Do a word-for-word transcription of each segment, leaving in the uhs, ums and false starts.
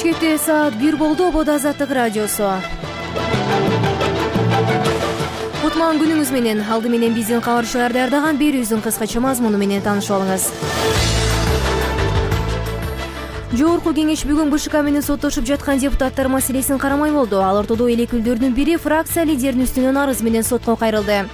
Бишкекте саат бир болду. Обод Азаттык радиосу. Кутман күнүңүз менен. Алды менен биздин кабарчылар даярдаган берүүбүздүн кыскача мазмуну менен таанышып алыңыз. Жогорку кеңеш бүгүн БШК менен соттошуп жаткан депутаттар маселесин карамай болду. Ал ортодо эл өкүлдөрүнүн бири фракция лидеринин үстүнөн арыз менен сотко кайрылды.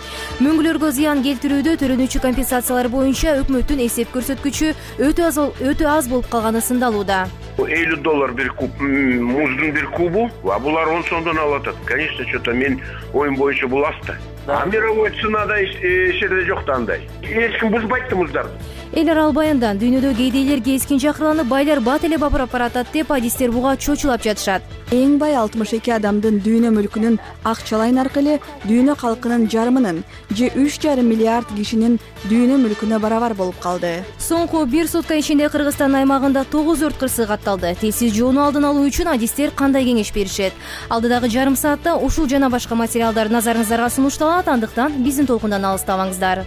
Мөңгүлөргө зыян келтирүүдө төлөнүүчү компенсациялар боюнча өкмөттүн эсеп көрсөткүчү өтө аз өтө аз болуп калганы сындалууда. элүү доллар бир куб муздун бир кубу, а булар он сомдон алып атат. Конечно, что-то мен оюм боюнча бул аста. А мировой ценада эч жерде жок да андай. Эч ким бузбайт да муздарды. Эл арал баяндан дүйнөдө кедейлер кескин чакырыланып, байлар бат эле бапырап баратат деп адистер буга чочулап жатышат. Эң бай алтымыш эки адамдын дүйнө мүлкүнүн акчалай наркы эле дүйнө калкынын жарымынын же үч жарым миллиард кишинин дүйнө мүлкүнө барабар болуп калды. Соңку бир сутка ичинде Кыргызстан аймагында тогуз өрт кырсыгы катталды. Тез жоону алдын алуу үчүн адистер кандай кеңеш беришет? Алдыдагы жарым саатта ушул жана башка материалдар назарыңыздарга сунушталат. Андыктан биздин толкундан алыстабаңыздар.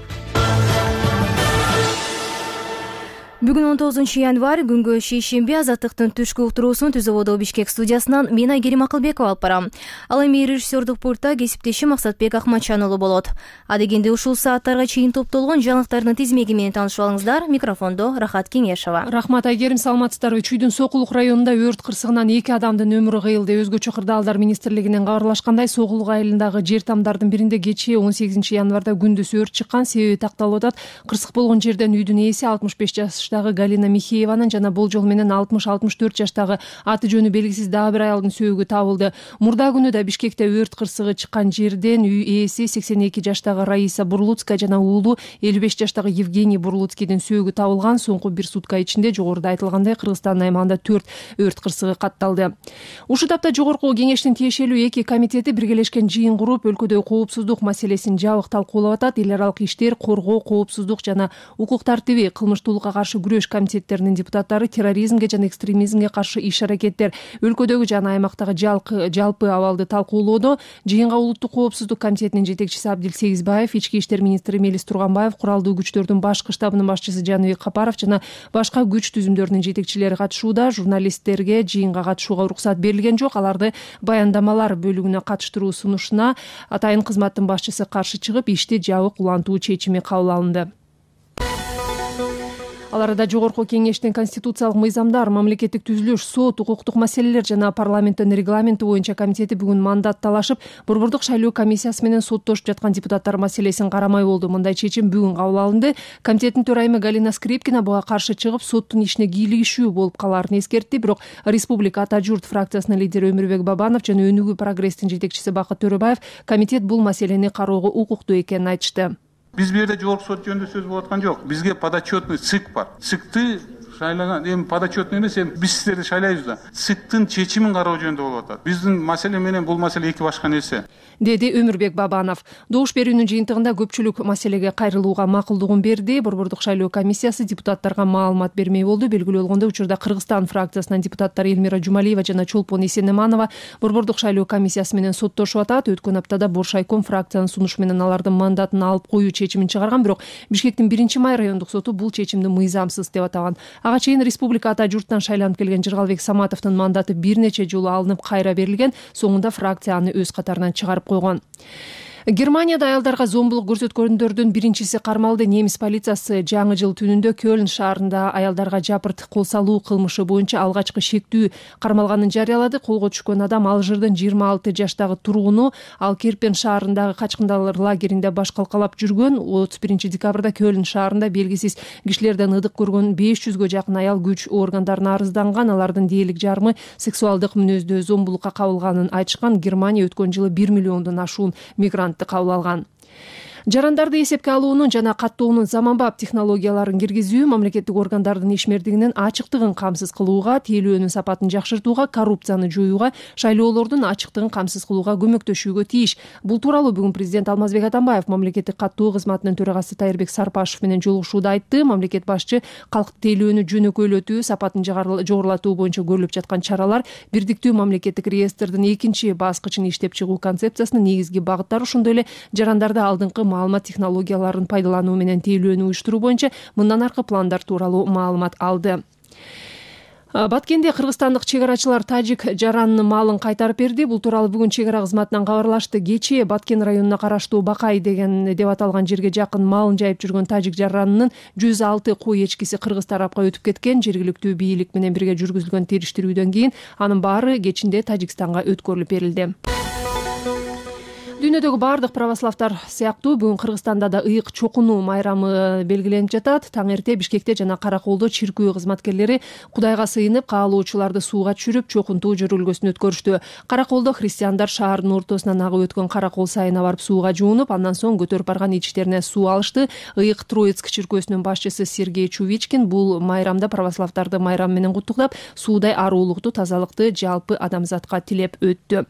Бүгүн он тогузунчу январь күнгө шейшемби. Азаттыктын түшкү уктуруусун Түз Ободо Бишкек студиясынан мен Айгерим Акылбекова алып барам. Ал эми режиссердук пультта кесиптешим Максатбек Акматчан уулу болот. Адегенде ушул сааттарга чейин топтолгон жаңылыктардын тизмеги менен таанышып алыңыздар. Микрофондо Рахат Кеңешова. Рахмат Айгерим, саламатсыздарбы? Чүйдүн Сокулук районунда өрт кырсыгынан эки адамдын өмүрү кыйылды. Өзгөчө кырдаалдар министрлигинен кабарлашкандай, Сокулук айылындагы жер тамдардын биринде кечээ он сегизинчи январда күндүз өрт чыккан. Себеби такталып атат. Кырсык болгон жерден үйдүн ээси алтымыш беш жаш Галина Михееванын жана болжол менен алтымыш алтымыш төрт жаштагы аты жөнү белгисиз дагы бир аялдын сөөгү табылды. Мурда күнү да Бишкекте өрт кырсыгы чыккан жерден үй ээси сексен эки жаштагы Раиса Бурлуцкая жана уулу элүү беш жаштагы Евгений Бурлуцкийдин сөөгү табылган. Соңку бир сутка ичинде жогоруда айтылгандай Кыргызстан аймагында төрт өрт кырсыгы катталды. Ушул тапта жогорку кеңештин тиешелүү эки комитети биргелешкен жыйын куруп, өлкөдөгү коопсуздук маселесин жабык талкуулап атат. Эл аралык иштер, коргоо, коопсуздук жана укук тартиби, кылмыштуулукка каршы күрөш комитеттеринин депутаттары терроризмге жана экстремизмге каршы иш-аракеттер, өлкөдөгү жана аймактагы жалпы абалды талкуулоодо. Жыйынга улуттук коопсуздук комитетинин жетекчиси Абдил Сегизбаев, ички иштер министри Мелис Турганбаев, куралдуу күчтөрдүн башкы штабынын башчысы Жаныбек Капаров жана башка күч түзүмдөрүнүн жетекчилери катышууда. Журналисттерге жыйынга катышууга уруксат берилген жок. Аларды баяндамалар бөлүгүнө катыштыруу сунушуна атайын кызматтын башчысы каршы чыгып, ишти жабык улантуу чечими кабыл алынды. Ал арада жогорку кеңештин конституциялык мыйзамдар, мамлекеттик түзүлүш, сот, укуктук маселелер жана парламенттин регламенти боюнча комитети бүгүн мандат талашып, Борбордук шайлоо комиссиясы менен соттошуп жаткан депутаттар маселесин карамай болду. Мындай чечим бүгүн кабыл алынды. Комитеттин төрайымы Галина Скрипкина буга каршы чыгып, соттун ишине кийлигишүү болуп калаарын эскертти. Бирок Республика Ата журт фракциясынын лидери Өмүрбек Бабанов жана Өнүгүү прогресстин жетекчиси Бакыт Төрөбаев комитет бул маселени кароого укуктуу экенин айтышты. Биз бул жерде жогорку сот жөнүндө сөз болуп аткан жок. Бизге подотчетный ЦИК бар. ЦИКты шайлаган, эми подотчетный эмес, эми биз сиздерди шайлайбыз да. ЦИКтын чечимин кароо жөнүндө болуп атат. Биздин маселе менен бул маселе эки башка нерсе, деди Өмүрбек Бабанов. Добуш берүүнүн жыйынтыгында көпчүлүк маселеге кайрылууга макулдугун берди. Борбордук шайлоо комиссиясы депутаттарга маалымат бермей болду. Белгилүү болгондой, учурда Кыргызстан фракциясынын депутаттары Элмира Жумалиева жана Чолпон Эсенеманова Борбордук шайлоо комиссиясы менен соттошуп атат. Өткөн аптада Боршайком фракциянын сунушу менен алардын мандатын алып коюу чечимин чыгарган, бирок Бишкектин биринчи май райондук соту бул чечимди мыйзамсыз деп атаган. Ага чейин Республика Ата журттан шайланып келген Жыргалбек Саматовдун мандаты бир нече жолу алынып кайра берилген. Соңунда фракция аны өз катарынан чыгарып койгон. Германияда аялдарга зомбулук көрсөткөндөрдүн биринчиси кармалды. Немис полициясы жаңы жыл түнүндө Кёлн шаарында аялдарга жапырт кол салуу кылмышы боюнча алгачкы шектүү кармалганын жарыялады. Колго түшкөн адам Алжирдин жыйырма алты жаштагы тургуну. Ал Керпен шаарындагы качкындар лагеринде баш калкалап жүргөн. отуз биринчи декабрда Кёлн шаарында белгисиз кишилерден ыдык көргөн беш жүзгө жакын аял күч органдарына арызданган. Алардын дээрлик жарымы сексуалдык мүнөздө зомбулукка кабылганын айтышкан. Германия өткөн жылы бир миллиондон ашуун мигрант кабыл алган. Жарандарды эсепке алуунун жана каттоонун заманбап технологияларын киргизүү мамлекеттик органдардын ишмердигинин ачыктыгын камсыз кылууга, тейлөөнүн сапатын жакшыртууга, коррупцияны жоюуга, шайлоолордун ачыктыгын камсыз кылууга көмөктөшүүгө тийиш. Бул тууралуу бүгүн президент Алмазбек Атамбаев мамлекеттик каттоо кызматынын төрагасы Тайырбек Сарпашев менен жолугушууда айтты. Мамлекет башчы калктык тейлөөнү жөнөкөйлөтүү, сапатын жогорулатуу боюнча көрүлүп жаткан чаралар, бирдиктүү мамлекеттик реестрдин экинчи баскычын иштеп чыгуу концепциясынын негизги багыттары, ошондой эле жарандарды алдыңкы маалымат технологияларын пайдалануу менен тейлөөнү уюштуруу боюнча мындан аркы пландар тууралуу маалымат алды. Баткенде кыргызстандык чек арачылар тажик жаранынын малын кайтарып берди. Бул тууралуу бүгүн чек ара кызматынан кабарлашты. Кечээ Баткен районуна караштуу Бакай деген деп аталган жерге жакын малын жайып жүргөн тажик жаранынын жүз алты кой эчкиси кыргыз тарапка өтүп кеткен. Жергиликтүү бийлик менен бирге жүргүзүлгөн териштирүүдөн кийин анын баары кечинде Тажикстанга өткөрүлүп берилди. Дүйнөдөгү баардык православтар сыяктуу бүгүн Кыргызстанда да ыйык чокунуу майрамы белгиленип жатат. Таң эрте Бишкекте жана Караколдо чиркөө кызматкерлери Кудайга сыйынып каалоочуларды сууга түшүрүп чокунтуу жөрөлгөсүн өткөрүштү. Караколдо христиандар шаардын ортосунан агып өткөн Каракол сайына барып сууга жуунуп, андан соң көтөрүп барган ичтерине суу алышты. Ыйык Троицк чиркөөсүнүн башчысы Сергей Чувичкин бул майрамда православтарды майрам менен куттуктап, суудай арулукту, тазалыкты жалпы адамзатка тилеп өттү.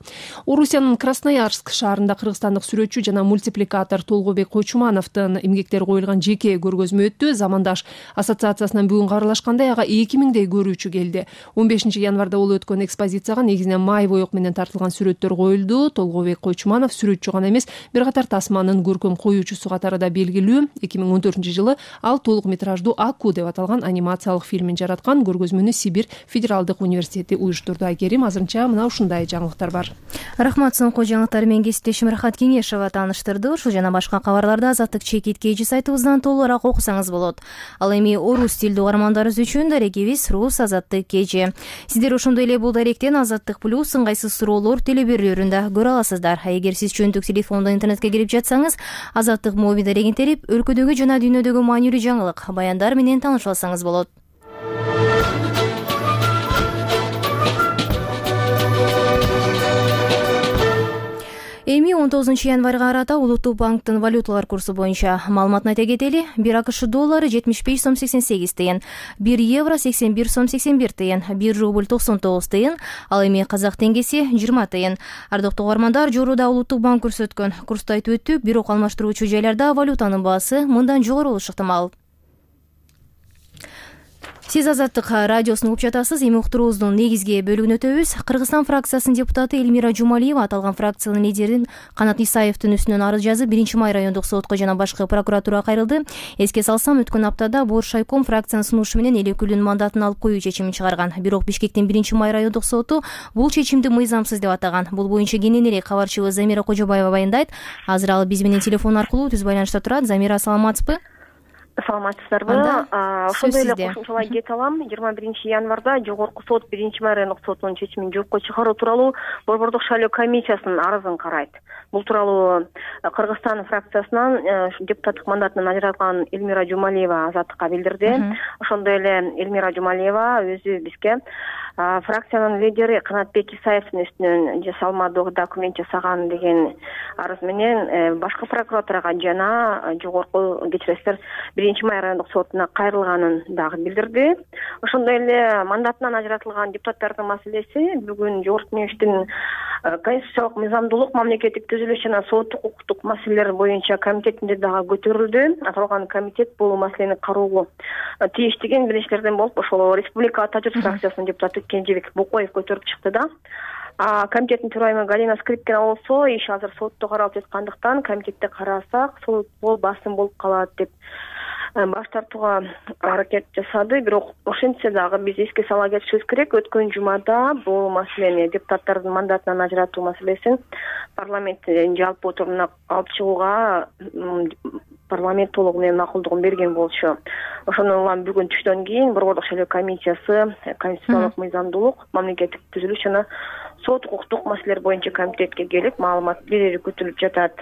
Орусиянын Красноярск шаарында кыргызстандык сүрөтчү жана мультипликатор Толгобек Койчумановдун эмгектери коюлган жеке көргөзмө өттү. Замандаш ассоциациясынан бүгүн кабарлашкандай, ага эки миңдей көрүүчү келди. он бешинчи январда болуп өткөн экспозицияга негизинен май боек менен тартылган сүрөттөр коюлду. Толгобек Койчуманов сүрөтчү гана эмес, бир катар тасманын көркөм коюучусу катары да белгилүү. эки миң он төртүнчү жылы ал толук метраждуу Аку деп аталган анимациялык фильмин жараткан. Көргөзмөнү Сибирь федералдык университети уюштурду. Айкерим, азырынча мына ушундай жаңылыктар бар. Рахмат, соңку жаңылыктар менен кесиптешим Рахат Кеңешова тааныштырды. Ушул жана башка кабарларды Азаттык чекит кеji сайтыбыздан толугураак окусаңыз болот. Ал эми орус тилдүү угармандарыбыз үчүн дарегибиз Рус Азаттык кеji. Сиздер ошондой эле бул даректен Азаттык плюс ыңгайсыз суроолор телеберүүлөрүндө көрө аласыздар. Эгер сиз чөнтүк телефондон интернетке кирип жатсаңыз, Азаттык моби дарегин терип, өлкөдөгү жана дүйнөдөгү маанилүү жаңылык, баяндар менен таанышып алсаңыз болот. Эми он тогузунчу январга карата Улуттук банктын валюталар курсу боюнча маалыматын айта кетели. бир АКШ доллары жетимиш беш сом сексен сегиз тыйын, бир евро сексен бир сом сексен бир тыйын, бир рубль токсон тогуз тыйын, ал эми казак теңгеси жыйырма тыйын. Ардактуу угармандар, жууруда Улуттук банк көрсөткөн курсту айтып өттүк, бирок алмаштыруучу жайларда валютанын баасы мындан жогору болушу ыктымал. Сиз Азаттык радиосун угуп жатасыз. Эми уктуруубуздун негизги бөлүгүнө өтөбүз. Кыргызстан фракциясынын депутаты Элмира Жумалиева аталган фракциянын лидерин Канат Исаевдин үстүнөн арыз жазып, биринчи май райондук сотко жана башкы прокуратурага кайрылды. Эске салсам, өткөн аптада Боршайком фракциянын сунушу менен эл өкүлүнүн мандатын алып коюу чечимин чыгарган. Бирок Бишкектин биринчи май райондук соту бул чечимди мыйзамсыз деп атаган. Бул боюнча кененирээк кабарчыбыз Замира Кожобаева баяндайт. Азыр ал биз менен телефон аркылуу түз байланышта турат. Замира, саламатсызбы? Саламатсыздарбы? Ошондой эле кошумчалай кете алам. жыйырма биринчи январда жогорку сот биринчи май райондук сотунун чечимин жокко чыгаруу тууралуу Борбордук шайлоо комиссиясынын арызын карайт. Бул тууралуу Кыргызстан фракциясынан депутаттык мандатынан ажыратылган Элмира Жумалиева Азаттыкка билдирди. Ошондой эле Элмира Жумалиева өзү бизге фракциянын лидери Канатбек Исаевдин үстүнөн жасалмадуу документ жасаган деген арыз менен башкы прокуратурага жана жогорку кечиресиздер биринчи май райондук сотуна кайрылганын дагы билдирди. Ошондой эле мандатынан ажыратылган депутаттардын маселеси бүгүн Жогорку Кеңештин конституциялык мыйзамдуулук, мамлекеттик түзүлүш жана соттук укуктук маселелер боюнча комитетинде дагы көтөрүлдү. Аталган комитет бул маселени кароого тийиштигин билиштерден болуп, ошол Республика Ата журт фракциясынын депутаты Кенжебек Бокоев көтөрүп чыкты да. Комитеттин төрайымы Галина Скрипкина болсо, иш азыр сотто каралып жаткандыктан комитетте карасак, сол басым болуп калат деп баш тартууга аракет жасады. Бирок ошентсе дагы биз эске сала кетишибиз керек. Өткөн жумада бул маселени, депутаттардын мандатынан ажыратуу маселесин парламенттин жалпы отурумуна алып чыгууга парламент толугу менен макулдугун берген болчу. Ошондон улам бүгүн түштөн кийин Борбордук шайлоо комиссиясы конституциялык мыйзамдуулук, мамлекеттик түзүлүш жана сот укуктук маселелер боюнча комитетке келип маалымат берери күтүлүп жатат.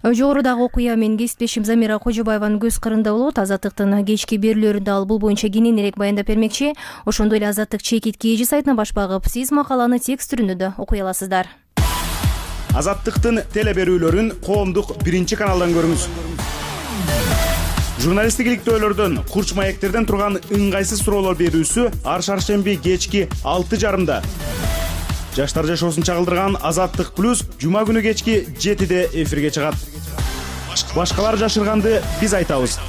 Жогорудагы окуя менен кесиптешим Замира Кожобаеванын көз кырында болот. Азаттыктын кечки берүүлөрүндө ал бул боюнча кененирээк баяндап бермекчи. Ошондой эле Азаттык чекит кеji сайтына баш багып, сиз макаланы текст түрүндө да окуй аласыздар. Азаттыктын телеберүүлөрүн коомдук биринчи каналдан көрүңүз. Журналисттик иликтөөлөрдөн, курч маектерден турган ыңгайсыз суроолор берүүсү ар шаршемби кечки алты жарымда. Жаштар жашоосун чагылдырган Азаттык плюс жума күнү кечки жетиде эфирге чыгат. Башкалар жашырганды биз айтабыз.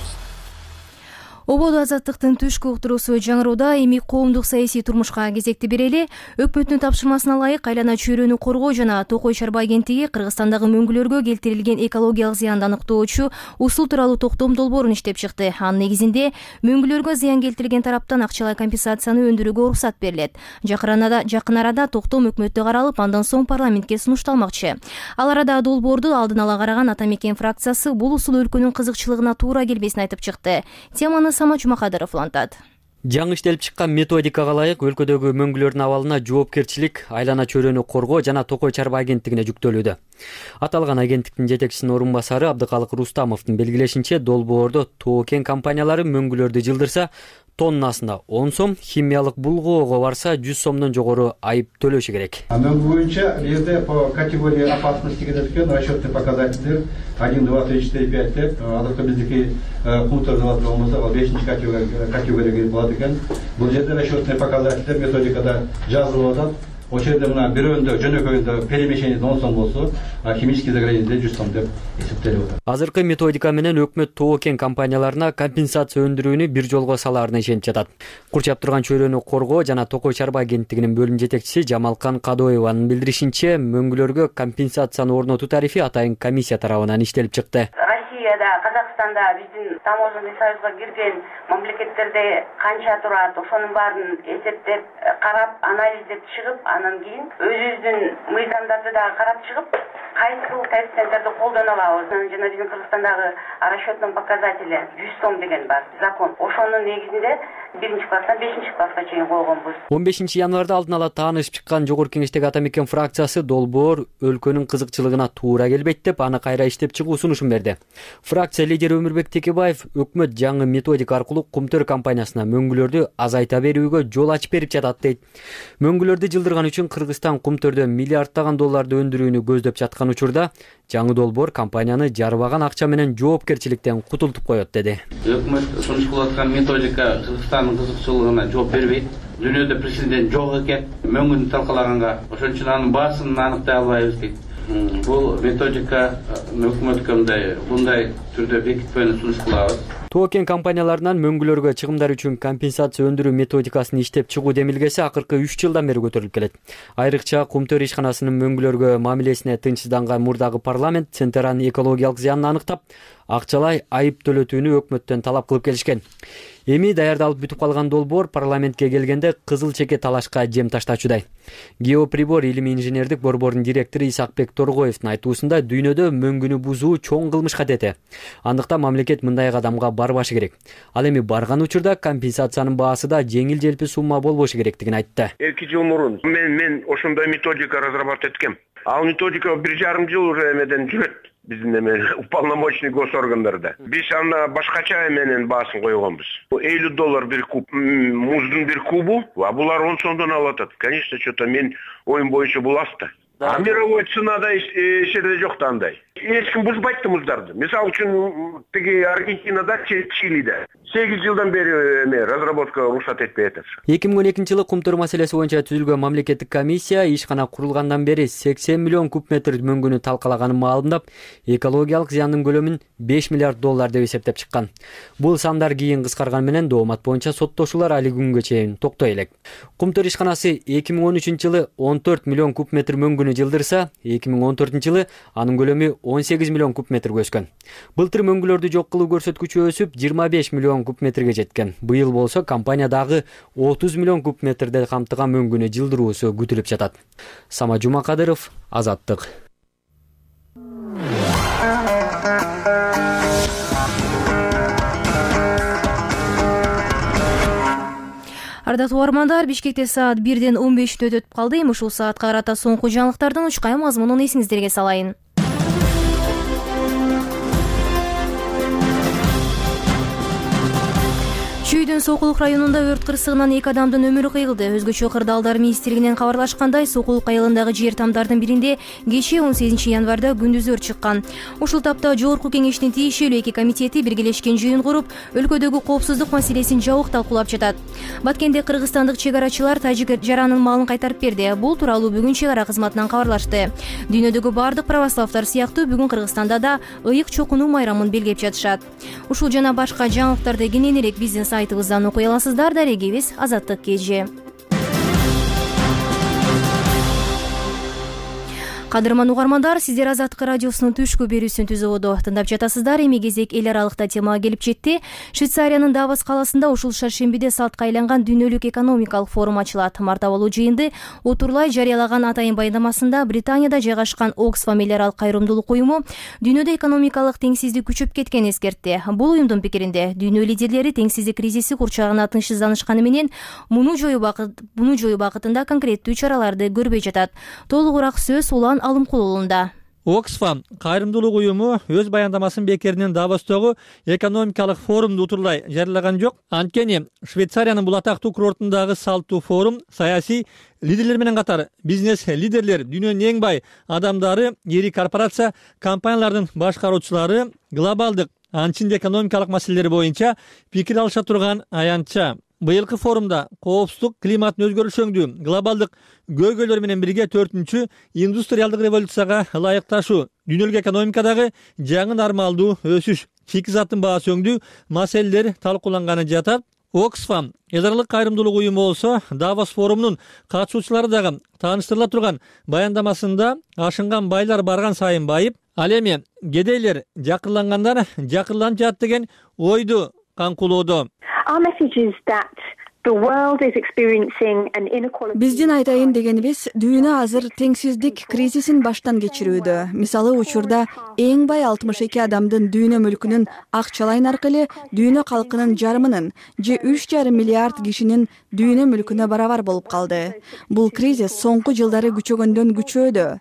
Ободо азаттыктын түшкү уктуруусу жаңырууда. Эми коомдук саясий турмушка кезекти берели. Өкмөттүн тапшырмасына ылайык айлана чөйрөнү коргоо жана Токой чарба агенттиги Кыргызстандагы мөңгүлөргө келтирилген экологиялык зыянды аныктоочу усул тууралуу токтом долбоорун иштеп чыкты. Анын негизинде мөңгүлөргө зыян келтирилген тараптан акчалай компенсацияны өндүрүүгө уруксат берилет. Жакын арада токтом өкмөттө каралып, андан соң парламентке сунушталмакчы. Ал арада долбоорду алдын ала караган Ата Мекен фракциясы бул усул өлкөнүн кызыкчылыгына туура келбесин айтып чыкты. Теманы Сама Жумакадыров улантат. Жаңы иштелип чыккан методикага ылайык өлкөдөгү мөңгүлөрдүн абалына жоопкерчилик айлана чөйрөнү коргоо жана Токой чарба агенттигине жүктөлүүдө. Аталган агенттиктин жетекчисинин орун басары Абдыкалык Рустамовдун белгилешинче, долбоордо Тоо кен компаниялары мөңгүлөрдү жылдырса тоннасына он сом, химиялык булгоого барса жүз сомдон жогору айып төлөшү керек. Мөңгү боюнча бизде по категории опасности кетет экен, расчетный показатель один, два, три, четыре, пять деп, азыркы биздики пункттар деп болмосо, ал бешинчи категорияга кирип калат экен. Бул жерде расчетный показатель методикада жазылып атат. Ошол жерде мына бирөөндө жөнөкөйүндө перемещение он сом болсо, химический загрязнение жүз сом деп эсептелип атат. Азыркы методика менен өкмөт Тоо кен компанияларына компенсация өндүрүүнү бир жолго салаарына ишенип жатат. Курчап турган чөйрөнү коргоо жана Токой чарба агенттигинин бөлүм жетекчиси Жамалкан Кадоеванын билдиришинче, мөңгүлөргө компенсацияны орнотуу тарифи атайын комиссия тарабынан иштелип чыкты. Россияда, Казакстанда биздин таможенный союзга кирген мамлекеттерде канча турат, ошонун баарын эсептеп, карап, анализдеп чыгып, анан кийин өзүбүздүн мыйзамдарды да карап чыгып, кайсы коэффициенттерди колдоно алабыз. Жана биздин Кыргызстандагы расчетный показатели жүз сом деген бар, закон. Ошонун негизинде биринчи класстан бешинчи класска чейин койгонбуз. он бешинчи январда алдын ала таанышып чыккан Жогорку Кеңештеги Ата Мекен фракциясы долбоор өлкөнүн кызыкчылыгына туура келбейт деп, аны кайра иштеп чыгуу сунушун берди. Фракция лидери Өмүрбек Текебаев өкмөт жаңы методика аркылуу Кумтөр компаниясына мөңгүлөрдү азайта берүүгө жол ачып берип жатат дейт. Мөңгүлөрдү жылдырган үчүн Кыргызстан Кумтөрдө миллиарддаган долларды өндүрүүнү көздөп жаткан учурда жаңы долбоор компанияны жарбаган акча менен жоопкерчиликтен кутултуп коет деди. Өкмөт сунушталып аткан методика Кыргызстандын кызыкчылыгына жооп бербейт. Дүйнөдө президент жок экен, мөңгүнү талкалаганга, ошон үчүн анын баасын аныктай албайбыз дейт. Бул методика өкмөткө мындай мындай түрдө бекитпөөнү сунуш кылабыз. Тоо кен компанияларынан мөңгүлөргө чыгымдар үчүн компенсация өндүрүү методикасын иштеп чыгуу демилгеси акыркы үч жылдан бери көтөрүлүп келет. Айрыкча Кумтөр ишканасынын мөңгүлөргө мамилесине тынчсызданган мурдагы парламент Центеранын экологиялык зыянын аныктап, акчалай айып төлөтүүнү өкмөттөн талап кылып келишкен. Эми даярдалып бүтүп калган долбоор парламентке келгенде кызыл чеке талашка жем таштачудай. Геоприбор илимий инженердик борбордун директору Исакбек Торгоевдун айтуусунда дүйнөдө мөңгүнү бузуу чоң кылмыш катети. Андыктан мамлекет мындай кадамга барбашы керек. Ал эми барган учурда компенсациянын баасы да жеңил-желпи сумма болбошу керектигин айтты. эки жыл мурун мен мен ошондой методика разрабатывать эткем. Ал методика бир жарым жыл уже эмеден жүрөт. Биздин эме уполномоченный госоргандарда. Биз аны башкача менен баасын койгонбуз. элүү доллар бир куб муздун бир кубу, а булар он сомдон алып атат. Конечно, что-то мен оюм боюнча бул аста. А мировой ценада эч жерде жок да андай. Эч ким бузбайт да муздарды. Мисалы үчүн тиги Аргентинада, Чилиде сегиз жылдан бери эме разработка уруксат этпей атат. эки миң он экинчи жылы Кумтөр маселеси боюнча түзүлгөн мамлекеттик комиссия ишкана курулгандан бери сексен миллион куб метр мөңгүнү талкалаганын маалымдап, экологиялык зыяндын көлөмүн беш миллиард доллар деп эсептеп чыккан. Бул сандар кийин кыскарган менен доомат боюнча соттошуулар али күнгө чейин токтой элек. Кумтөр ишканасы эки миң он үчүнчү жылы он төрт миллион куб метр мөңгүнү жылдырса, эки миң он төртүнчү жылы анын көлөмү он сегиз миллион куб метрге өскөн. Былтыр мөңгүлөрдү жок кылуу көрсөткүчү өсүп жыйырма беш миллион куб метрге жеткен. Быйыл болсо компания дагы отуз миллион куб метрде камтыган мөңгүнү жылдыруусу күтүлүп жатат. Сама Жумакадыров, Азаттык. Ардактуу угармандар, Бишкекте саат бирден он беш мүнөт өтүп калды. Эми ушул саатка карата соңку жаңылыктардын учкай мазмунун эсиңиздерге салайын. Түштүк үйдүн Сокулук районунда өрт кырсыгынан эки адамдын өмүрү кыйылды. Өзгөчө кырдаалдар министрлигинен кабарлашкандай, Сокулук айылындагы жер тамдардын биринде кечээ он сегизинчи январда күндүз өрт чыккан. Ушул тапта жогорку кеңештин тиешелүү эки комитети биргелешкен жыйын куруп, өлкөдөгү коопсуздук маселесин жабык талкуулап жатат. Баткенде кыргызстандык чек арачылар тажик жаранын малын кайтарып берди. Бул тууралуу бүгүн чек ара кызматынан кабарлашты. Дүйнөдөгү бардык православдар сыяктуу бүгүн Кыргызстанда да ыйык чокунуу майрамын белгилеп жатышат. Ушул жана башка жаңылыктарды кененирээк биздин сайтыбыздан окуй аласыздар. Дарегибиз Азаттык Кежи. Кадырман угармандар, сиздер Азаттык радиосунун түшкү берүүсүн түзүүдө тыңдап жатасыздар. Эми кезек эл аралыкта темага келип жетти. Швейцариянын Давос каласында ушул шаршембиде салтка айланган дүйнөлүк экономикалык форум ачылат. Мартабалуу жыйынды Отурлай жарыялаган атайын баяндамасында Британияда жайгашкан Оксфам эл аралык кайрымдуулук уюму дүйнөдө экономикалык теңсиздик күчөп кеткенин эскертти. Бул уюмдун пикиринде дүйнө лидерлери теңсиздик кризиси курчагына тынчсызданышканы менен муну жоюу бакытында конкреттүү чараларды көрбөй жатат. Толугураак сөз Улан Алымкулуулунда. Оксфам кайрымдуулук уюму өз баяндамасын бекеринен Давостогу экономикалык форумду утурлай жарыялаган жок. Анткени Швейцариянын бул атактуу курортундагы салттуу форум саясий лидерлер менен катар бизнес лидерлер, дүйнөнүн эң бай адамдары, ири корпорация компаниялардын башкаруучулары глобалдык анчинде экономикалык маселелер боюнча пикир алыша турган аянтча. Быйылкы форумда коопсуздук, климаттын өзгөрүшөңдүү, глобалдык көйгөйлөр менен бирге төртүнчү индустриалдык революцияга ылайыкташуу, дүйнөлүк экономикадагы жаңы нормалдуу өсүш, шикизаттын баасы өңдүү маселелер талкууланганы жатат. Оксфам эл аралык кайрымдуулук уюму болсо Давос форумунун катышуучулары дагы тааныштырыла турган баяндамасында ашынган байлар барган сайын байып, ал эми кедейлер жакырлангандар жакырланып жатат деген ойду каңкулоодо. Биздин айтайын дегенибиз, дүйнө азыр теңсиздик кризисин баштан кечирүүдө. Мисалы, учурда эң бай алтымыш эки адамдын дүйнө мүлкүнүн акчалайын аркылуу дүйнө калкынын жарымынын же үч жарым миллиард кишинин дүйнө мүлкүнө барабар болуп калды. Бул кризис соңку жылдары күчөгөндөн күчөөдө.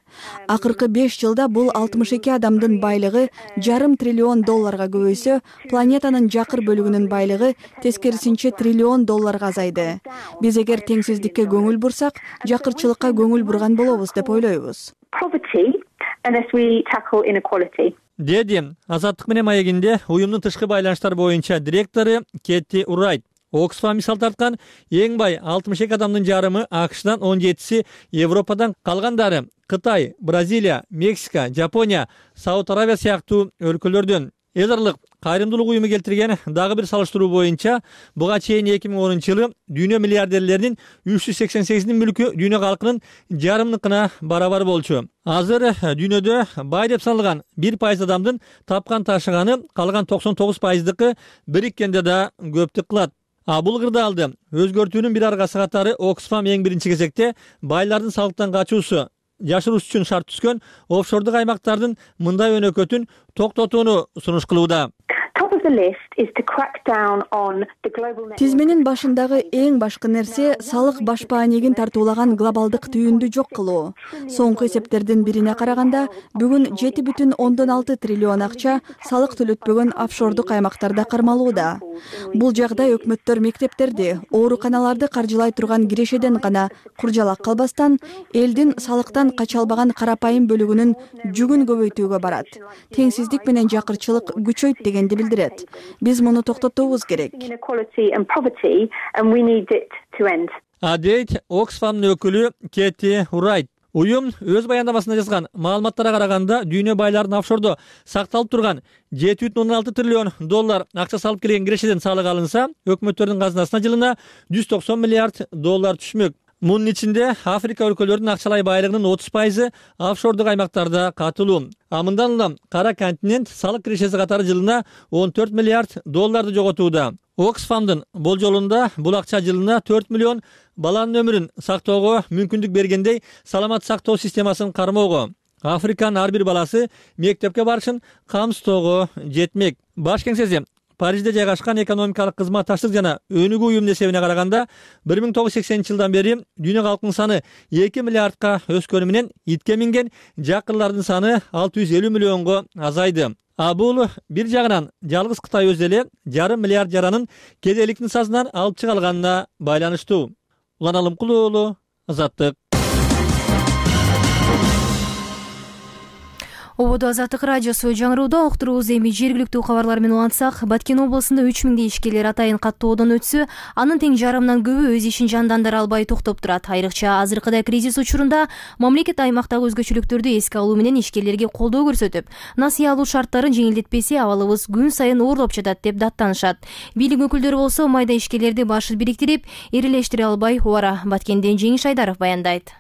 Акыркы беш жылда бул алтымыш эки адамдын байлыгы жарым триллион долларга көбөйсө, планетанын жакыр бөлүгүнүн байлыгы тескерисинче триллион долларга азайды. Биз эгер теңсиздикке көңүл бурсак, жакырчылыкка көңүл бурган болобуз деп ойлойбуз. Деди Азаттык менен маегинде уюмдун тышкы байланыштар боюнча директору Кетти Урайт. Оксфам мисал тарткан эң бай алтымыш эки адамдын жарымы АКШдан, он жетиси Европадан, калгандары Кытай, Бразилия, Мексика, Жапония, Сауд Аравия сыяктуу өлкөлөрдөн. Эл аралык кайрымдуулук уюму келтирген дагы бир салыштыруу боюнча буга чейин эки миң онунчу жылы дүйнө миллиардерлеринин үч жүз сексен сегизинин мүлкү дүйнө калкынын жарымыныкына барабар болчу. Азыр дүйнөдө бай деп саналган бир пайыз адамдын тапкан ташыганы калган токсон тогуз пайыздыкы бириккенде да көптүк кылат. А бул кырдаалды өзгөртүүнүн бир аргасы катары Оксфам эң биринчи кезекте байлардын салыктан качуусу, жашыруус үчүн шарт түзгөн офшордук аймактардын мындай өнөкөтүн токтотууну сунуш кылууда. Тизменин башындагы эң башкы нерсе салык баш баанегин тартуулаган глобалдык түйүндү жок кылуу. Соңку эсептердин бирине караганда, бүгүн жети бүтүн ондон алты триллион акча салык төлөтпөгөн офшордук аймактарда кармалууда. Бул жагдай өкмөттөр мектептерди, ооруканаларды каржылай турган кирешеден гана куржалак калбастан, элдин салыктан кача албаган карапайым бөлүгүнүн жүгүн көбөйтүүгө барат. Теңсиздик менен жакырчылык күчөйт дегенди билдирет. Биз муну токтотуубуз керек. А дейт Оксфамдын өкүлү Кетти Урайт. Уюм өз баяндамасында жазган маалыматтарга караганда дүйнө байларынын офшордо сакталып турган жети бүтүн ондон алты триллион доллар акча салып келген кирешеден салык алынса, өкмөттөрдүн казынасына жылына жүз токсон миллиард доллар түшмөк. Мунун ичинде Африка өлкөлөрүнүн акчалай байлыгынын отуз пайызы офшордук аймактарда катылуу. А мындан улам кара континент салык кирешеси катары жылына он төрт миллиард долларды жоготууда. Оксфамдын болжолунда бул акча жылына төрт миллион баланын өмүрүн сактоого мүмкүндүк бергендей саламат сактоо системасын кармоого, Африканын ар бир баласы мектепке барышын камсыздоого жетмек. Баш кеңсеси Парижде жайгашкан экономикалык кызматташтык жана өнүгүү уюмунун эсебине караганда бир миң тогуз жүз сексенинчи жылдан бери дүйнө калкынын саны эки миллиардка өскөнү менен итке минген жакырлардын саны алты жүз элүү миллионго азайды. А бул бир жагынан жалгыз Кытай өзү эле жарым миллиард жаранын кедейлик нысасынан алып чыга алганына байланыштуу. Улан Алымкулуу уулу, Азаттык. Ободо Азаттык радиосу жаңырууда уктурубуз эми жергиликтүү кабарлар менен улантсак, Баткен облусунда үч миңдей ишкерлер атайын каттоодон өтсө, анын тең жарымынан көбү өз ишин жандандыра албай токтоп турат. Айрыкча азыркыдай кризис учурунда мамлекет аймактагы өзгөчөлүктөрдү эске алуу менен ишкерлерге колдоо көрсөтүп, насыя алуу шарттарын жеңилдетпесе, абалыбыз күн сайын оорлоп жатат деп даттанышат. Бийлик өкүлдөрү болсо майда ишкерлерди башын бириктирип, ирилештире албай убара. Баткенден Жеңиш Айдаров баяндайт.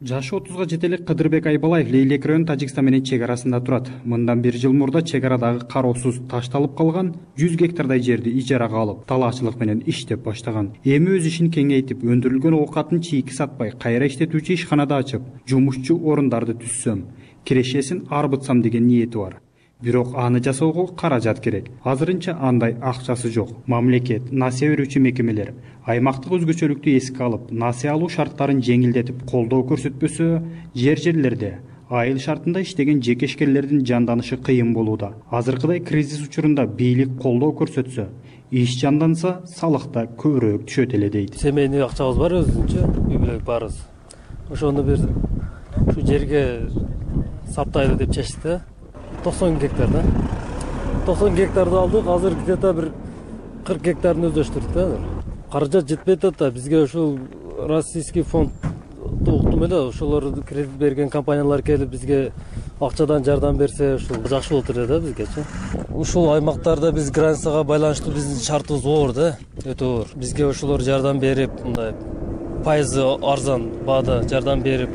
Жашы отузга жете элек Кыдырбек Айбалаев Лейлек район Тажикстан менен чек арасында турат. Мындан бир жыл мурда чек арадагы кароосуз ташталып калган жүз гектардай жерди ижарага алып, талаачылык менен иштеп баштаган. Эми өз ишин кеңейтип, өндүрүлгөн оокатын чийки сатпай, кайра иштетүүчү ишканада ачып, жумушчу орундарды түзсөм, кирешесин арбытсам деген ниети бар. Бирок аны жасоого каражат керек. Азырынча андай акчасы жок. Мамлекет, насыя берүүчү мекемелер аймактык өзгөчөлүктү эске алып, насыя алуу шарттарын жеңилдетип, колдоо көрсөтпөсө, жер-жерлерде айыл шартында иштеген жеке ишкерлердин жанданышы кыйын болууда. Азыркыдай кризис учурунда бийлик колдоо көрсөтсө, иш жанданса, салык да көбүрөөк түшөт эле дейт. Семейный акчабыз бар өзүнчө, үй бүлөк барыз. Ошону бир ушу жерге саптайлы деп чечти. токсон гектар да. токсон гектарды алдык, азыр где-то бир кырк гектарын өздөштүрдүк да. Каражат жетпей атат да. Бизге ушул российский фонд уктум эле, ошолор кредит берген компаниялар келип бизге акчадан жардам берсе, ушул жакшы болот эле да бизгечи. Ушул аймактарда биз границага байланыштуу биздин шартыбыз оор да, өтө оор. Бизге ошолор жардам берип, мындай пайызы арзан баада жардам берип,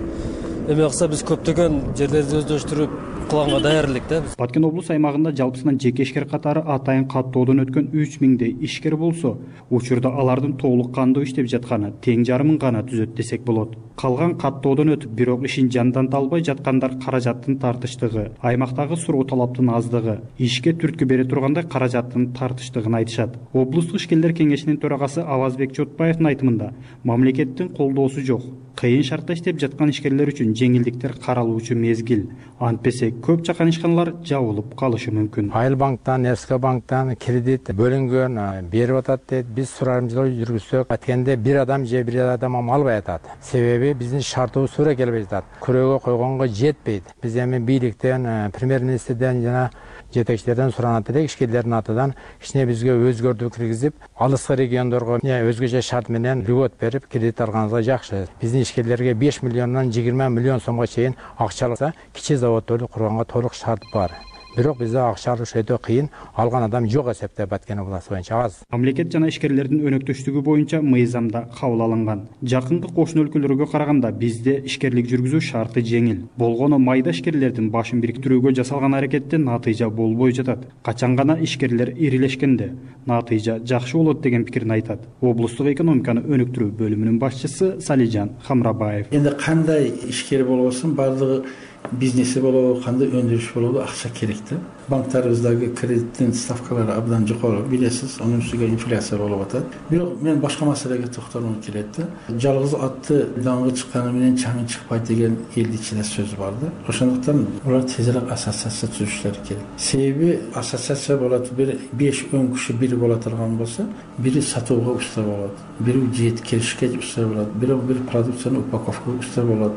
эме кылса биз көптөгөн жерлерди өздөштүрүп кылганга даярдык да. Баткен облус аймагында жалпысынан жеке ишкер катары атайын каттоодон өткөн үч миңдей ишкер болсо, учурда алардын толук кандуу иштеп жатканы тең жарымын гана түзөт десек болот. Калган каттоодон өтүп, бирок ишин жанданта албай жаткандар каражаттын тартыштыгы, аймактагы суроо талаптын аздыгы, ишке түрткү бере тургандай каражаттын тартыштыгын айтышат. Облустук ишкерлер кеңешинин төрагасы Авазбек Чотбаевдин айтымында, мамлекеттин колдоосу жок. Кыйын шартта иштеп жаткан ишкерлер үчүн жеңилдиктер каралуучу мезгил. Антпесе көп чакан ишканалар жабылып калышы мүмкүн. Айыл банктан, Эрске банктан кредит бөлүнгөн, берип атат дейт. Биз сурарымжылоо жүргүзсөк, аткенде бир адам же бир адам албай атат. Себеби биздин шартыбыз туура келбей жатат. Күрөөгө койгонго жетпейт. Биз эми бийликтен, премьер-министрден жана жетекчилерден суранат элек, ишкерлердин атынан кичине бизге өзгөртүү киргизип, алыскы региондорго өзгөчө шарт менен льгот берип кредит алганыбызга жакшы. Биздин ишкерлерге беш миллиондон жыйырма миллион сомго чейин акча алса, кичи заводдорду курганга толук шарт бар. Бирок бизде акча алыш өтө кыйын, алган адам жок эсепте Баткен областы боюнча аз. Мамлекет жана ишкерлердин өнөктөштүгү боюнча мыйзамда кабыл алынган. Жакынкы кошуна өлкөлөргө караганда бизде ишкерлик жүргүзүү шарты жеңил. Болгону майда ишкерлердин башын бириктирүүгө жасалган аракетте натыйжа болбой жатат. Качан гана ишкерлер ирилешкенде натыйжа жакшы болот деген пикирин айтат. Облустук экономиканы өнүктүрүү бөлүмүнүн башчысы Салижан Хамрабаев. Энди кандай ишкер болбосун, бардыгы бизнеси болобу, кандай өндүрүш болобу, акча керек да. Банктарыбыздагы кредиттин ставкалары абдан жокору, билесиз, анын үстүгө инфляция болуп атат. Бирок мен башка маселеге токтолгум келет да. Жалгыз атты даңгы чыкканы менен чаңы чыкпайт деген элдин ичинде сөз бар да. Ошондуктан улар тезирээк ассоциация түзүшлөрү керек. Себеби ассоциация болот, бир беш он киши бири боло турган болсо, бири сатууга уста болот, бири жет келишке уста болот, бири бир продукцияны упаковкага уста болот.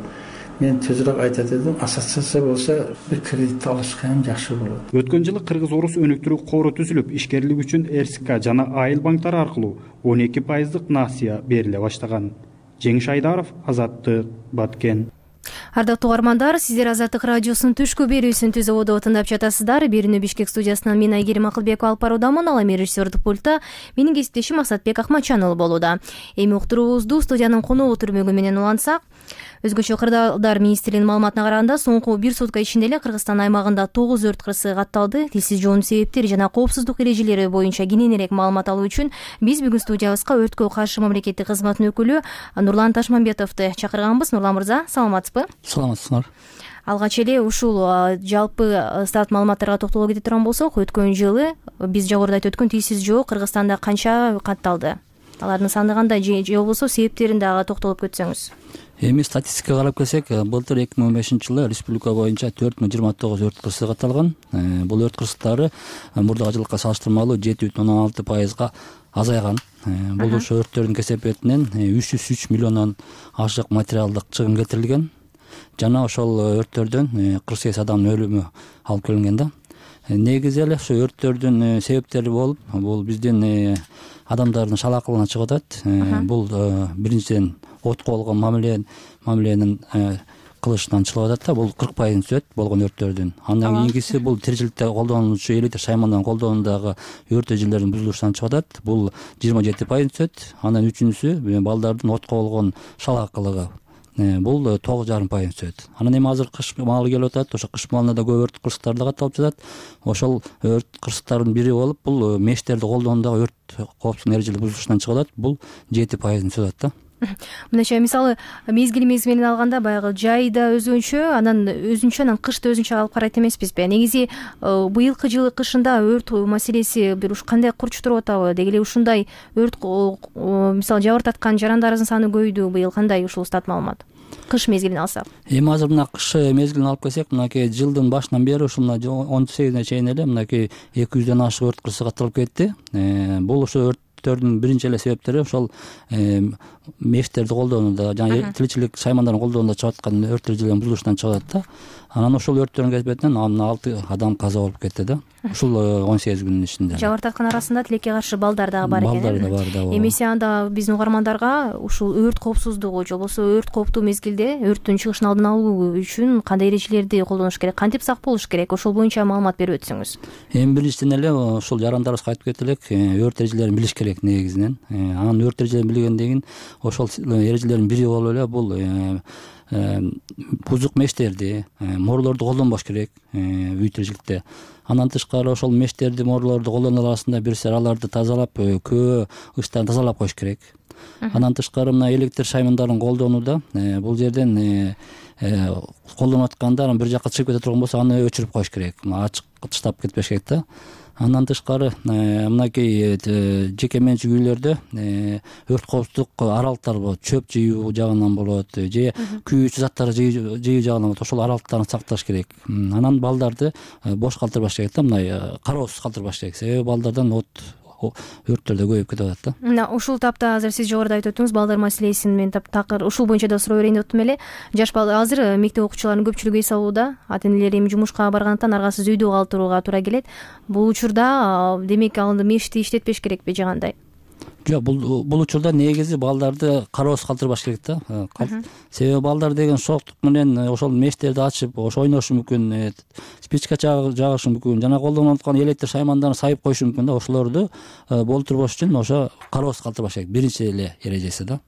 Мен тезирээк айтат эдим, ассоциация болсо бир кредит алышка эми жакшы болот. Өткөн жылы Кыргыз-Орус өнүктүрүү кору түзүлүп, ишкерлик үчүн РСК жана айыл банктары аркылуу он эки пайыздык насыя бериле баштаган. Жеңиш Айдаров, Азаттык, Баткен. Ардактуу угармандар, сиздер Азаттык радиосунун түшкү берүүсүн түзүүбү тыңдап жатасыздар. Берүүнү Бишкек студиясынан мен Айгерим Акылбекова алып баруудамын. Ал эми режиссердик пультта менин кесиптешим Максатбек Акматжанұлы болууда. Эми уктуруубузду студиянын коногу түрмөгү менен улантсак, өзгөчө кырдаалдар министрлигинин маалыматына караганда, соңку бир сутка ичинде эле Кыргызстан аймагында тогуз өрт кырсыгы катталды. Тилсиз жоонун себептери жана коопсуздук эрежелери боюнча кененирээк маалымат алуу үчүн биз бүгүн студиябызга өрткө каршы мамлекеттик кызматтын өкүлү Нурлан Ташмамбетовду чакырганбыз. Нурлан мырза, саламатсызбы? Саламатсыздар. Алгач эле ушул жалпы стат маалыматтарга токтоло кете турган болсок, өткөн жылы биз жогоруда айтып өткөн тилсиз жоо Кыргызстанда канча катталды? алардын саны кандай же болбосо себептерин дагы токтолуп кетсеңиз. Эми статистикага карап келсек, былтыр эки миң он бешинчи жылы республика боюнча төрт миң жыйырма тогуз өрт кырсык катталган. Бул өрт кырсыктары мурдагы жылга салыштырмалуу жети бүтүн ондон алты пайызга азайган. Бул ошо өрттөрдүн кесепетинен үч жүз үч миллиондон ашык материалдык чыгым кетирилген. Жана ошол өрттөрдөн кырк сегиз адамдын өлүмү алып келинген да. Негизи эле ошо өрттөрдүн себептери болуп, бул биздин адамдардын шалаакылыгынан чыгып атат. Бул биринчиден отко болгон мамиле мамиленин кылышынан чыгып атат да, бул кырк пайызын түзөт болгон өрттөрдүн. Андан кийинкиси бул тиричиликте колдонуучу электр шаймандан колдонуудагы өрт эжелердин бузулушунан чыгып атат. Бул жыйырма жети пайызын түзөт. Андан үчүнчүсү балдардын отко болгон шалаакылыгы. Бул тогуз жарым пайызын түзөт. Анан эми азыр кыш маалы келип атат. Ошо кыш маалында да көп өрт кырсыктар да катталып жатат. Ошол өрт кырсыктардын бири болуп, бул мештерди колдонуудагы өрт коопсуздук эрежелери бузулушунан чыгып атат. Бул жети пайызын түзөт да. Мындайча, мисалы мезгил мезгилинен алганда баягы жайда өзүнчө, анан өзүнчө, анан кышты өзүнчө алып карайт эмеспизби? Негизи быйылкы жылы кышында өрт маселеси бир уш кандай курч туруп атабы? Деги эле ушундай өрт мисалы жабыртаткан жарандарыбыздын саны көбөйдү быйыл, кандай ушул стат маалымат? Кыш мезгилин алсак. Эми азыр мына кыш мезгилин алып келсек, мынакей жылдын башынан бери ушул мына он сегизине чейин эле мынакей эки жүздөн ашык өрт кырсык катталып кетти. Бул ошо өрттөрдүн биринчи эле себептери ошол мештерди колдонууда жана тиричилик шаймандарын колдонууда чыгып аткан өрт эрежелеринин бузулушунан чыгып атат да. Анан ошол өрттөрдүн кесепетинен алты адам каза болуп кетти да. Ушул он сегиз күнүн ичинде. Жабыртаткан арасында тилекке каршы балдар дагы бар экен. Балдар да бар да. Эмесе анда биздин угармандарга ушул өрт коопсуздугу же болбосо өрт кооптуу мезгилде өрттүн чыгышын алдын алуу үчүн кандай эрежелерди колдонуш керек, кантип сак болуш керек? Ошол боюнча маалымат берип өтсөңүз. Эми биринчиден эле ушул жарандарыбызга айтып кетелик, өрт эрежелерин билиш керек негизинен. Анан өрт эрежелерин билгенден кийин ошол эрежелердин бири болуп эле бул бузук мештерди, морлорду колдонбош керек үй тиричиликте. Андан тышкары ошол мештерди, морлорду колдонуу арасында бир сер аларды тазалап, көө ычтарын тазалап коюш керек. Андан тышкары мына электр шаймандарын колдонууда бул жерден колдонуп атканда анан бир жакка чыгып кете турган болсо аны өчүрүп коюш керек. Ачык таштап кетпеш керек да. Андан тышкары мынакей жеке менчик үйлөрдө өрт коопсуздук аралыктар болот, чөп жыюу жагынан болот же күйүүчү заттар жыюу жагынан болот. Ошол аралыктарын сакташ керек. Анан балдарды бош калтырбаш керек да, мындай кароосуз калтырбаш керек. Себеби балдардан от өрттөр да көбөйүп кетип атат да. Мына ушул тапта азыр сиз жогоруда айтып өттүңүз, балдар маселесин мен такыр ушул боюнча да суроо берейин деп аттым эле. Жаш бала азыр мектеп окуучуларынын көпчүлүгү эс алууда, ата энелер эми жумушка баргандыктан аргасыз үйдө калтырууга туура келет. Бул учурда демек ал мешти иштетпеш керекпи же кандай? Жок, бул бул учурда негизи балдарды кароосуз калтырбаш керек да. Себеби балдар деген шоктук менен ошол мештерди ачып, ошо ойношу мүмкүн, спичка жагышы мүмкүн, жана колдонуп аткан электр шаймандарын сайып коюшу мүмкүн да. Ошолорду болтурбош үчүн ошо кароосуз калтырбаш керек. Биринчи эле эрежеси да.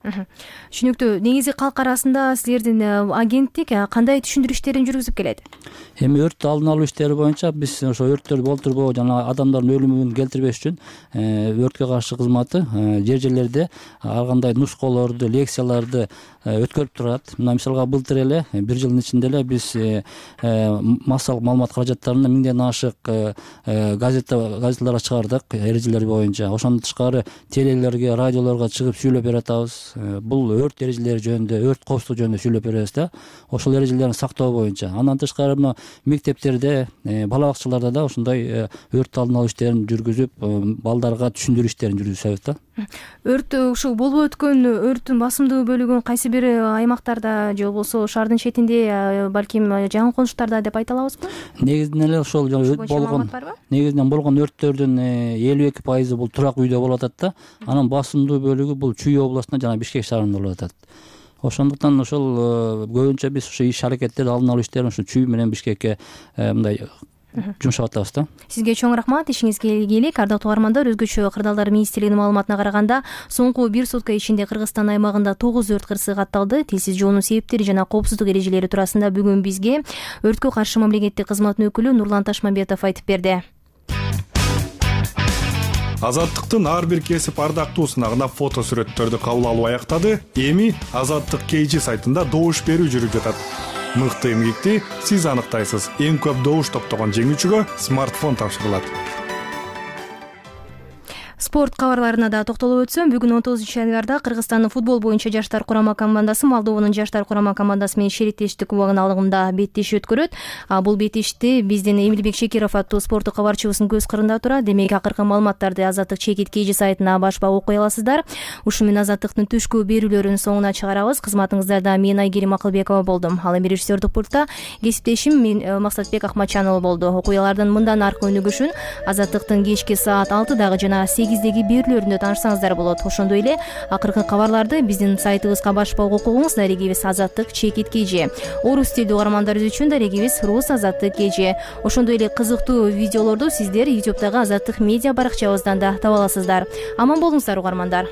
Түшүнүктүү. Негизи калк арасында силердин агенттик кандай түшүндүрүү иштерин жүргүзүп келет? Эми өрттү алдын алуу иштери боюнча биз ошо өрттөрдү болтурбоо жана адамдардын өлүмүн келтирбеш үчүн өрткө каршы кызматы жер жерлерде ар кандай нускаларды, лекцияларды өткөрүп турат. Мына мисалга былтыр эле бир жылдын ичинде эле биз массалык маалымат каражаттарынан миңден ашык газета газеталарга чыгардык эрежелер боюнча. Ошондон тышкары телелерге, радиолорго чыгып сүйлөп берип атабыз. Бул өрт эрежелери жөнүндө, өрт коопсуздугу жөнүндө сүйлөп беребиз да. Ошол эрежелерди сактоо боюнча. Андан тышкары мына мектептерде, бала бакчаларда да ошондой өрт алдын алуу иштерин жүргүзүп, балдарга түшүндүрүү иштерин жүргүзөбүз да. Өрт ушул болуп өткөн өрттүн басымдуу бөлүгүн кайсы бир аймактарда же болбосо шаардын четинде, балким жакын конуштарда деп айта алабызбы? Негизинен эле ошол болгон негизинен болгон өрттөрдүн элүү эки пайызы бул турак үйдө болуп атат да. Анан басымдуу бөлүгү бул Чүй областында жана Бишкек шаарында болуп атат. Ошондуктан ошол көбүнчө биз ушу иш аракеттерди алдын алуу иштерин ушу Чүй менен Бишкекке мындай жумшап атабыз да. Сизге чоң рахмат, ишиңизге ийгилик. Ардактуу угармандар, өзгөчө кырдаалдар министрлигинин маалыматына караганда, соңку бир сутка ичинде Кыргызстан аймагында тогуз өрт кырсыгы катталды. Тилсиз жоонун себептери жана коопсуздук эрежелери туурасында бүгүн бизге өрткө каршы мамлекеттик кызматтын өкүлү Нурлан Ташмамбетов айтып берди. Азаттыктын ар бир кесип ардактуусуна фото сүрөттөрдү кабыл алуу аяктады. Эми Азаттык кей жи сайтында добуш берүү жүрүп жатат. Мыкты эмгекти сиз аныктайсыз. Эң көп добуш топтогон жеңүүчүгө смартфон тапшырылат. спорт кабарларына да токтолуп өтсөм, бүгүн он тогузунчу январда Кыргызстандын футбол боюнча жаштар курама командасы Молдованын жаштар курама командасы менен шериктештик кубогун алымында беттеш өткөрөт. Бул беттешти биздин Эмилбек Шекиров аттуу спорттук кабарчыбыздын көз кырында турат. Демек, акыркы маалыматтарды Азаттык чекит kg сайтына башпак окуй аласыздар. Ушу менен Азаттыктын түшкү берүүлөрүн соңуна чыгарабыз. Кызматыңыздарда мен Айгерим Акылбекова болдум. Ал эми режиссердик пультта кесиптешим мен Максатбек Акматчанұлы болду. Окуялардын мындан аркы өнүгүшүн Азаттыктын кечки саат алтыдагы жана сегиздеги берүүлөрүндө таанышсаңыздар болот. Ошондой эле акыркы кабарларды биздин сайтыбызга башпак окугуңуз. Дарегибиз Азаттык чекит kg. Орус тилдүү угармандар үчүн дарегибиз Рус Азаттык kg. Ошондой эле кызыктуу видеолорду сиздер YouTube'дагы Азаттык медиа баракчабыздан да таба аласыздар. Аман болуңуздар угармандар.